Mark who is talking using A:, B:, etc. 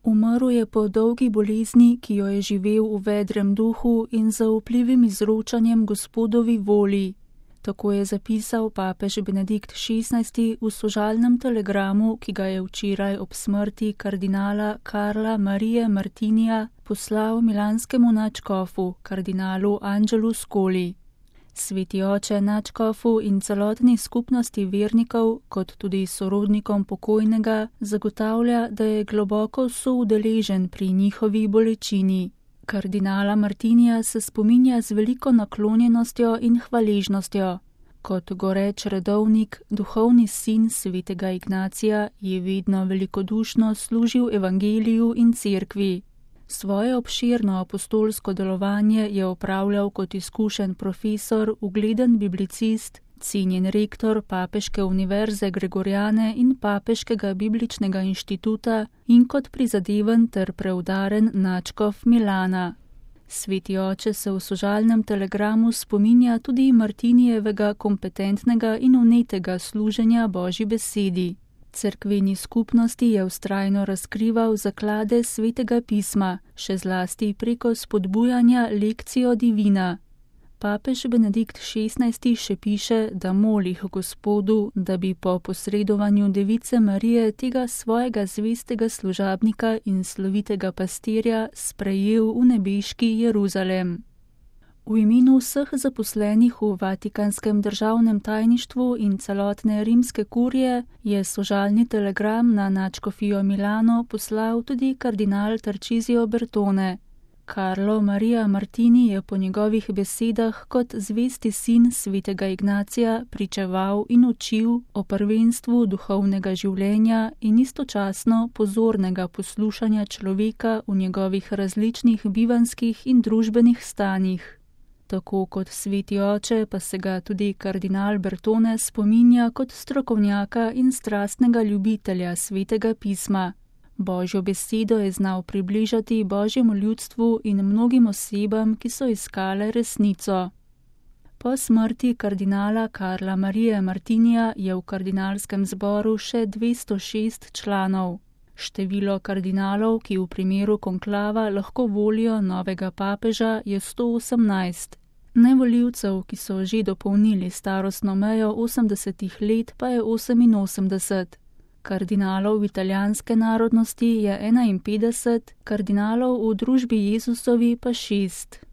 A: Umrl je po dolgi bolezni, ki jo je živel v vedrem duhu in zaupljivim izročanjem Gospodovi volji. Tako je zapisal papež Benedikt XVI v sožalnem telegramu, ki ga je včeraj ob smrti kardinala Karla Marije Martinija poslal milanskemu nadškofu, kardinalu Angelu Scoli. Sveti oče nadškofu in celotni skupnosti vernikov, kot tudi sorodnikom pokojnega, zagotavlja, da je globoko soudeležen pri njihovi bolečini. Kardinala Martinija se spominja z veliko naklonjenostjo in hvaležnostjo. Kot goreč redovnik, duhovni sin svetega Ignacija je vedno velikodušno služil evangeliju in cerkvi. Svoje obširno apostolsko delovanje je opravljal kot izkušen profesor, ugleden biblicist, cenjen rektor Papeške univerze Gregoriane in Papeškega bibličnega inštituta in kot prizadeven ter preudaren nadškof Milana. Sveti oče se v sožalnem telegramu spominja tudi Martinijevega kompetentnega in vnetega služenja Božji besedi. Cerkveni skupnosti je vztrajno razkrival zaklade svetega pisma, še zlasti preko spodbujanja lekcijo divina. Papež Benedikt XVI še piše, da moli k Gospodu, da bi po posredovanju device Marije tega svojega zvestega služabnika in slovitega pastirja sprejel v nebeški Jeruzalem. V imenu vseh zaposlenih v Vatikanskem državnem tajništvu in celotne rimske kurije je sožalni telegram na nadškofijo Milano poslal tudi kardinal Tarcisio Bertone. Carlo Maria Martini je po njegovih besedah kot zvesti sin svetega Ignacija pričeval in učil o prvenstvu duhovnega življenja in istočasno pozornega poslušanja človeka v njegovih različnih bivanjskih in družbenih stanjih. Tako kot sveti oče pa se ga tudi kardinal Bertone spominja kot strokovnjaka in strastnega ljubitelja svetega pisma. Božjo besedo je znal približati Božjemu ljudstvu in mnogim osebam, ki so iskale resnico. Po smrti kardinala Karla Marije Martinija je v kardinalskem zboru še 206 članov. Število kardinalov, ki v primeru konklava lahko volijo novega papeža, je 118. Nevoljivcev, ki so že dopolnili starostno mejo 80 let, pa je 88. Kardinalov italijanske narodnosti je 51, kardinalov v družbi Jezusovi pa 6.